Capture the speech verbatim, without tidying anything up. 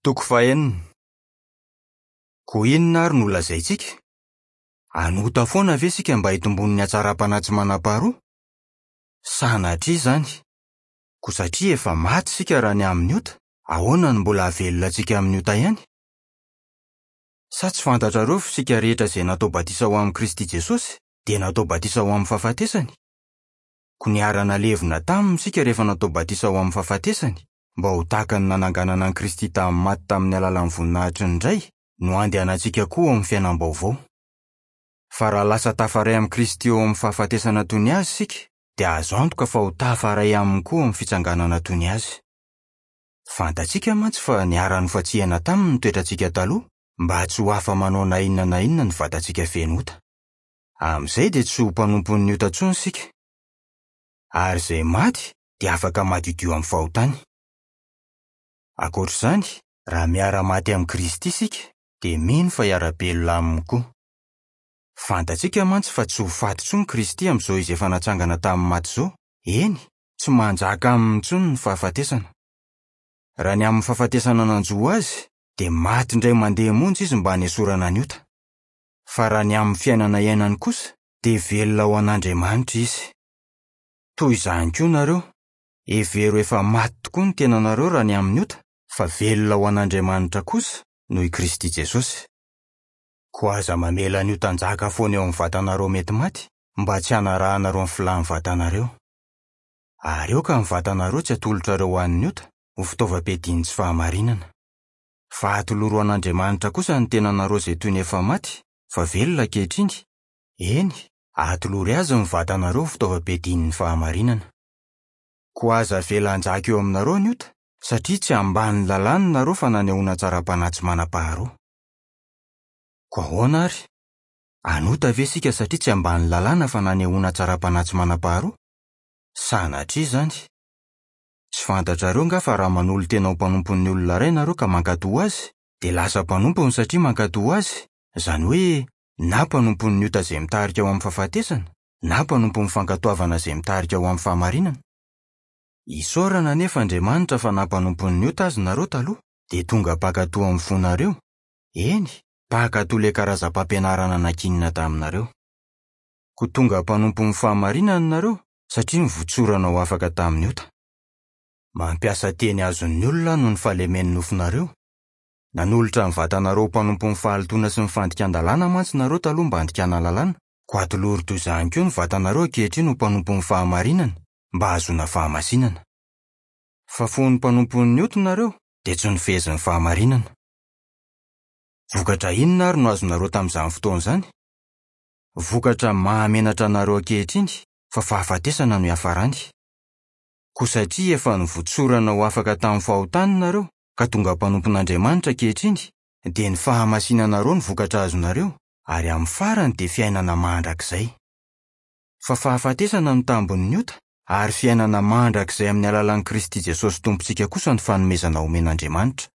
Toko fahenina. Koa inona ary no lazaintsika? Hanota foana ve isika mba hitombon'ny hatsaram-panahy tsy manam-paharoa? Sanatria izany! Koa satria efa maty isika raha ny amin'ny ota, ahoana no mbola hahavelona antsika amin'ny ota ihany? Sa tsy fantatrareo fa isika rehetra izay natao batisa ho amin'i Kristy Jesosy dia natao batisa ho amin'ny fahafatesany? Koa niara-nalevina taminy isika rehefa natao batisa ho amin'ny fahafatesany, mba ho tahaka ny nananganana an'i Kristy tamin'ny maty tamin'ny alalan'ny voninahitry ny Ray, no handehanantsika koa ao amin'ny fiainam-baovao. Fa raha lasa tafaray amin'i Kristy eo amin'ny fahafatesana toy ny Azy isika, dia azo antoka fa ho tafaray aminy koa amin'ny fitsanganana toy ny Azy. Fantatsika mantsy fa niara-nofantsihana taminy ny toetrantsika taloha, mba tsy ho afa-manao na inona na inona ny vatantsika feno ota. Amin'izay dia tsy ho mpanompon'ny ota intsony isika. Ary izay maty dia afaka madiodio amin'ny fahotany. Ankoatra izany, raha miara-maty amin'i Kristy isika, dia mino fa hiara-belona aminy koa. Fantatsika mantsy fa tsy ho faty intsony Kristy amin'izao izy efa natsangana tamin'ny maty izao, eny, tsy manjaka aminy intsony ny fahafatesana. Raha ny amin'ny fahafatesana nanjo azy, dia maty indray mandeha monja izy mba hanesorana ny ota. Fa raha ny amin'ny fiainana iainany kosa, dia velona ho an'Andriamanitra izy. Toy izany koa nareo, hevero efa maty tokoa ny tenanareo raha ny amin'ny ota, fa velona ho an'Andriamanitra kosa noho i Kristy Jesosy. Koa aza mamela ny ota hanjaka foana eo amin'ny vatanareo mety maty, mba tsy hanarahanareo ny filàn'ny vatanareo. Ary aoka ny vatanareo tsy atolotrareo ho an'ny ota, ho fitaovam-piadian'ny tsy fahamarinana. Fa atoloro an'Andriamanitra kosa ny tenanareo izay toy ny efa maty, fa velona ankehitriny. Eny, atolory azy ny vatanareo ho fitaovam-piadian'ny fahamarinana. Koa aza avela hanjaka eo aminareo ny ota, satria tsy ambanin'ny lalàna nareo fa nanehoana hatsaram-panahy tsy manam-paharoa. Koa ahoana ary? Hanota ve isika satria tsy ambanin'ny lalàna fa nanehoana hatsaram-panahy tsy manam-paharoa? Sanatria izany! Tsy fantatrareo nga fa raha manolo-tena ho mpanompon'ny olona iray nareo ka mankatò azy, dia lasa mpanompony satria mankatò azy, izany hoe na mpanompon'ny ota izay mitarika ho amin'ny fahafatesana, na mpanompon'ny fankatoavana izay mitarika ho amin'ny fahamarinana. Isaorana anefa Andriamanitra fa nampanompon'ny ota azy nareo taloha, dia tonga mpankatò amin'ny fonareo, eny, mpankatò ilay karazam-pampianarana nankinina taminareo. Koa tonga mpanompon'ny fahamarinana nareo satria nivotsorana ho afaka tamin'ny ota. Mampiasa teny azon'ny olona noho ny fahalemen'ny nofonareo. Nanolotra ny vatanareo ho mpanompon'ny fahalotoana sy ny fandikan-dalàna mantsy nareo taloha mba handikana lalàna, koa atolory toy izany koa ny vatanareo ankehitriny ho mpanompon'ny fahamarinana, mba hahazoana fahamasinana. Fa fony mpanompon'ny ota nareo, dia tsy nifehezin'ny fahamarinana. Vokatra inona ary no azonareo tamin'izany fotoana izany? Vokatra mahamenatra anareo ankehitriny, fa fahafatesana no hiafarany. Koa satria efa nivotsorana ho afaka tamin'ny fahotana nareo, ka tonga mpanompon'Andriamanitra ankehitriny, dia ny fahamasinanareo no vokatra azonareo, ary amin'ny farany dia fiainana mandrakizay. Fa fahafatesana no tambin'ny ota, ary fiainana mandrakizay amin'ny alalan'i Kristy Jesosy Tompontsika kosa ny fanomezana omen'Andriamanitra.